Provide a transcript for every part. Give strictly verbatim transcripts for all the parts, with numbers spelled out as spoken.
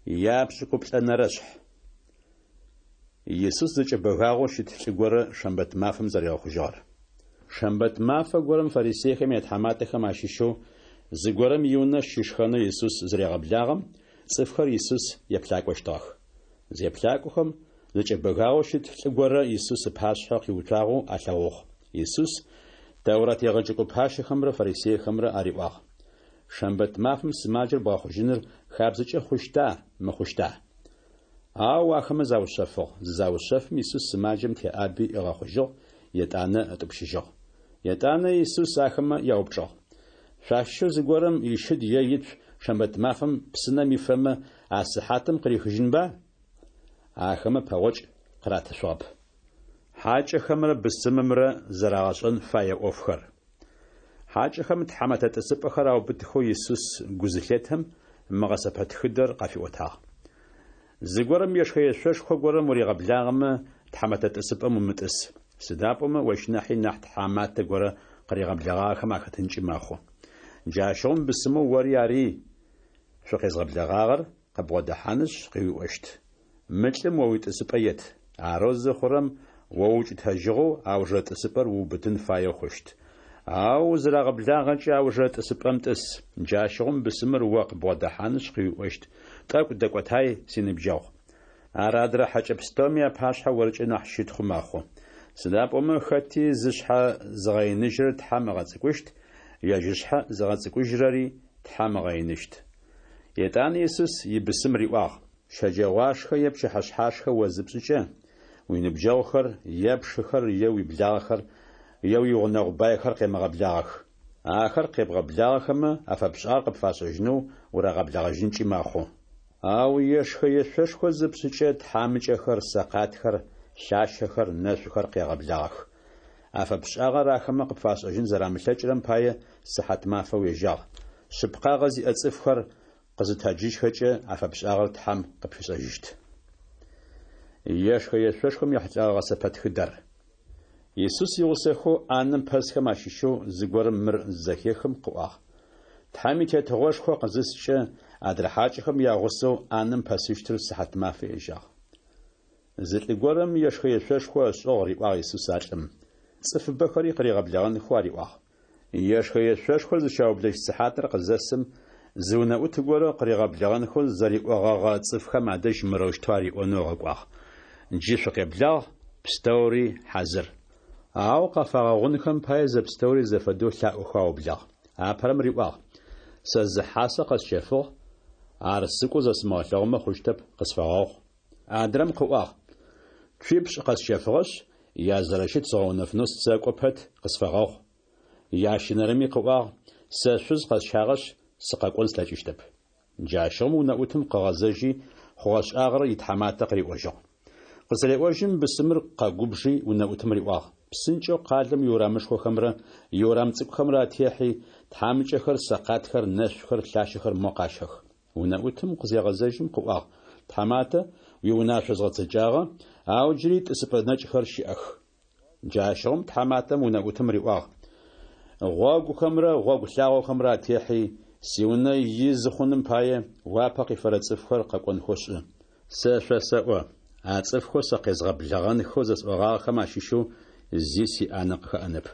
Япшӏыкӏуплӏэнэрэ шъхь. Исус зэкӏэбэгагъэу щыт лӏы горэ шэмбэт мафэм зэригъэхъужьыгъэр. Шэмбэт мафэ горэм фарисейхэм ятхьаматэхэм ащыщэу зыгорэм иунэ щышхэнэу Исус зырегъэблагъэм, цӏыфхэр Исус еплъакӏощтыгъэх. Зеплъакӏохэм, зэкӏэбэгагъэу щыт лӏы горэ Исус ыпашъхьэ къиуцуагъэу алъэгъугъ. Исус Тэурат егъэджэкӏо пащэхэмрэ фарисейхэмрэ ариӏуагъ: Шэмбэт мафэм сымаджэр бгъэхъужьыныр хабзэкӏэ хъущта, мыхъущта? Ау ахэмэ заушъэфыгъ. Зызаушъэфым, Исус сымаджэм теӏаби ыгъэхъужьыгъ, етӏанэ ытӏупщыжьыгъ. Етӏанэ Исус ахэмэ яупчӏыгъ: Шъуащыщэу зыгорэм ищыд е ицу шэмбэт мафэм псынэм ифэмэ, а сыхьатым къырихыжьынба? Ахэмэ пэгъокӏ къыратышъугъэп. Хьакӏэхэмрэ бысымымрэ зэрагъэшӏэн фае ӏофхэр. Хьакӏэхэм тхьамэтэ тӏысыпӏэхэр аубытхэу Исус гу зылъетэм, мы гъэсэпэтхыдэр къафиӏотагъ. Зыгорэм ешхэ-ешъошхо горэм уригъэблагъэмэ, тхьамэтэ тӏысыпӏэм умытӏыс. Сыда пӏомэ ощ нахьи нахь тхьаматэ горэ къыригъэблэгъагъэхэм ахэтынкӏи мэхъу. Джащыгъум бысымэу ори ари шъукъезгъэблэгъагъэр къыбгъодэхьанышъ къыуиӏощт: Мы лӏым о уитӏысыпӏэ ет. Арэу зыхъурэм о уукӏытэжьыгъэу аужырэ тӏысыпӏэр уубытын фаеу хъущт. Ау узырагъэблагъэкӏэ аужырэ тӏысыпӏэм тӏыс. Джащыгъум бысымыр о къыбгъодэхьанышъ къыуиӏощт: Тӏэкӏу дэкӏотай, синыбджэгъу. Ар адрэ хьэкӏэ пстэуми апашъхьэ оркӏэ нахь щытхъу мэхъу. Сыда пӏомэ хэти зышъхьэ зыгъэиныжьырэр Тхьэм ыгъэцӏыкӏущт, ежь ышъхьэ зыгъэцӏыкӏужьырэри Тхьэм ыгъэиныщт. Етӏанэ Исус ибысым риӏуагъ: Щэджэгъуашхэ е пчыхьэшъхьашхэ о зыпшӏыкӏэ, уиныбджэгъухэр, е пшыхэр, е уиблагъэхэр, е уигъунэгъу байхэр къемыгъэблагъэх. Ахэр къебгъэблагъэхэмэ, афэпшӏагъэр къыпфашӏэжьынэу урагъэблэгъэжьынкӏи мэхъу. Ау ешхэ-ешъошхо зыпшӏыкӏэ, тхьамыкӏэхэр, сэкъатхэр, лъащэхэр, нэшъухэр къегъэблагъэх. Афэпшӏагъэр ахэмэ къыпфашӏэжьын зэрамылъэкӏырэм пае сыхьат мафэ уежьагъ. Шъыпкъагъэ зиӏэ цӏыфхэр къызытэджыжьхэкӏэ афэпшӏагъэр Тхьэм къыпфишӏэжьыщт. Ешхэ-ешъошхом ехьылӏэгъэ гъэсэпэтхыдэр. Исус игъусэхэу ӏанэм пэсхэм ащыщэу зыгорэм мыр зызэхехым къыӏуагъ: Тхьэм и Тетыгъошхо къызыскӏэ, адрэ хьакӏэхэм ягъусэу ӏанэм пэсыщтыр сыхьат мафэ ежьагъ. Зы лӏы горэм ешхэ-ешъошхо ышӏыгъ, риӏуагъ Исус а лӏым. Цӏыфыбэхэри къыригъэблэгъэнхэу ариӏуагъ. Ешхэ-ешъошхор зыщаублэщт сыхьатыр къызэсым, зы унэӏут горэ къыригъэблэгъэнхэу зэриӏогъэгъэ цӏыфхэм адэжь мырэущтэу ариӏонэу ыгъэкӏуагъ: Джы шъукъеблагъ, пстэури хьазыр. Ау къафагъэгъунхэм пае зэпстэури зэфэдэу лъаӏохэу аублагъ. Апэрэм риӏуагъ: Сэ зы хьасэ къэсщэфыгъ, ар сыкӏоу зэсымыгъэлъэгъумэ хъущтэп, къысфэгъэгъу. Адрэм къыӏуагъ: Цуипшӏ къэсщэфыгъэшъ, язэрэщыт згъэунэфынэу сэкӏо пэт, къысфэгъэгъу. Ящэнэрэми къыӏуагъ: Сэ шъуз къэсщагъэшъ, сыкъэкӏон слъэкӏыщтэп. Джащыгъум унэӏутым къыгъэзэжьи, хъугъэ-шӏагъэр итхьаматэ къыриӏожьыгъ. Къызыреӏожьым, бысымыр къэгубжи унэӏутым риӏуагъ: Псынкӏэу къалэм иурамышхохэмрэ иурам цӏыкӏухэмрэ атехьи, тхьамыкӏэхэр, сэкъатхэр, нэшъухэр, лъащэхэр мо къащэх. Унэӏутым къызегъэзэжьым къыӏуагъ: Тхьаматэ, уиунашъо згъэцэкӏагъэ, ау джыри тӏысыпӏэ нэкӏхэр щыӏэх. Джащыгъум тхьаматэм унэӏутым риӏуагъ: Гъогухэмрэ гъогу лъагъохэмрэ атехьи, сиунэ изы хъуным пае уапэ къифэрэ цӏыфхэр къэкӏонхэу шӏы. Сэ шъосэӏо, а цӏыфхэу сэ къезгъэблэгъэнхэу зэсӏогъагъэхэм ащыщэу зи сиӏанэ къыхэӏэнэп.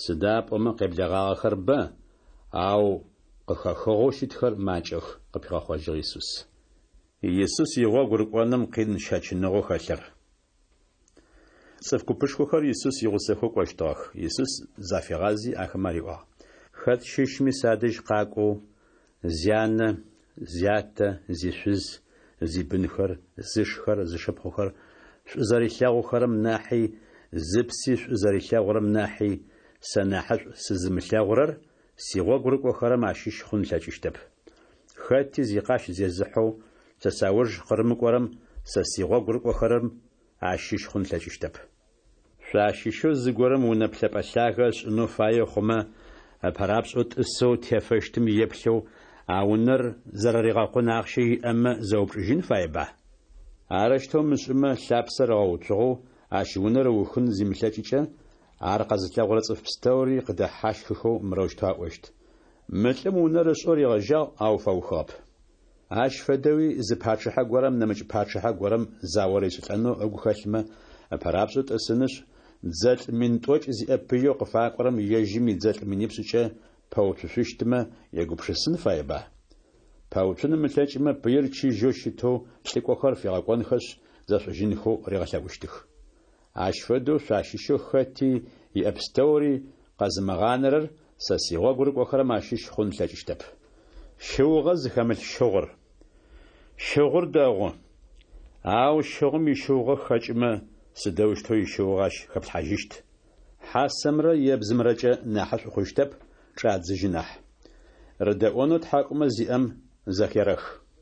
Сыда пӏомэ къеблэгъагъэхэр бэ, ау къыхэхыгъэу щытхэр макӏэх, къыпигъэхъожьыгъ Исус. Исус игъогу рыкӏоным къин щэчыныгъэу хэлъыр. Цӏыф купышхохэр Исус игъусэхэу кӏощтыгъэх. Исус зафигъази ахэмэ ариӏуагъ: Хэт щыщми садэжь къакӏоу, зянэ, зятэ, зишъуз, зибынхэр, зышхэр, зышыпхъухэр шӏу зэрилъэгъухэрэм нахьи, зыпси шӏу зэрилъэгъурэм нахьи, сэ нахьышӏу сызымылъэгъурэр сигъогу рыкӏохэрэм ащыщ хъун ылъэкӏыщтэп. Хэти зикъащ зезыхьэу сэ сауж къырымыкӏорэм сэ сигъогу рыкӏохэрэм ащыщ хъун ылъэкӏыщтэп. Шъуащыщэу зыгорэм унэ плъэпӏэ лъагэ ышӏынэу фае хъумэ, ыпэрапшӏэу тӏысэу тефэщтым еплъэу а унэр зэрэригъэкъун ахъщэ иӏэмэ зэупчӏыжьын фаеба? Арэущтэу ымышӏымэ, лъапсэр ыгъэуцугъэу ащ унэр ыухын зимылъэкӏыкӏэ, ар къэзылъэгъурэ цӏыф пстэури къыдэхьащхыхэу мырэущтэу аӏощт: Мы лӏым унэр ышӏэу ригъэжьагъ, ау фэухыгъэп. Ащ фэдэуи, зы пачъыхьэ горэм нэмыкӏ пачъыхьэ горэм зао ришӏылӏэнэу ыгу хэлъмэ, ыпэрапшӏэу тӏысынышъ, дзэлӏ мин тӏокӏ зиӏэ пыеу къыфакӏорэм ежьым идзэлӏ минипшӏыкӏэ пэуцушъущтмэ егупшысын фаеба? Пэуцун ымылъэкӏымэ, пыир чыжьэу щытэу лӏыкӏохэр фигъэкӏонхэшъ, зэшӏужьынхэу ригъэлъэӏущтых. Ащ фэдэу шъуащыщэу хэти иӏэ пстэури къэзымыгъанэрэр сэ сигъогу рыкӏохэрэм ащыщ хъун ылъэкӏыщтэп. Щыугъэ зыхэмылъ щыгъур. Щыгъур дэгъу. Ау щыгъум ищыугъэ хэкӏымэ, сыдэущтэу ищыугъэ ащ хэплъхьажьыщт? Хьасэмрэ ебзымрэкӏэ нахьышӏу хъущтэп, чӏадзыжьы нахь. Рыдэӏонэу тхьакӏумэ зиӏэм зэхерэх.